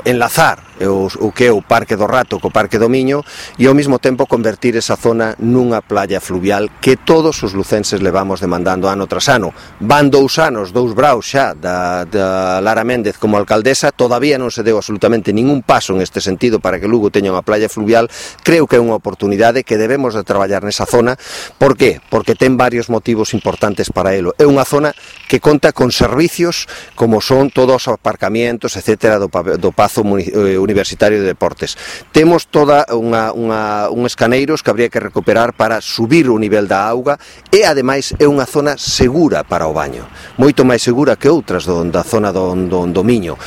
enlazar o que é o Parque do Rato co Parque do Miño e ao mesmo tempo convertir esa zona nunha playa fluvial que todos os lucenses levamos demandando ano tras ano. Van 2 anos, 2 braus xa da Lara Méndez como alcaldesa, todavía non se deu absolutamente ningún paso en este sentido para que Lugo teña unha playa fluvial. Creo que é unha oportunidade que debemos de traballar nesa zona. Por qué? Porque ten varios motivos importantes para elo. É unha zona que conta con servicios como son todos os aparcamientos, etcétera, do Pazo Universitario de Deportes. Temos toda uns caneiros que habría que recuperar para subir o nivel da auga e, ademais, é unha zona segura para o baño, moito máis segura que outras da zona do Miño.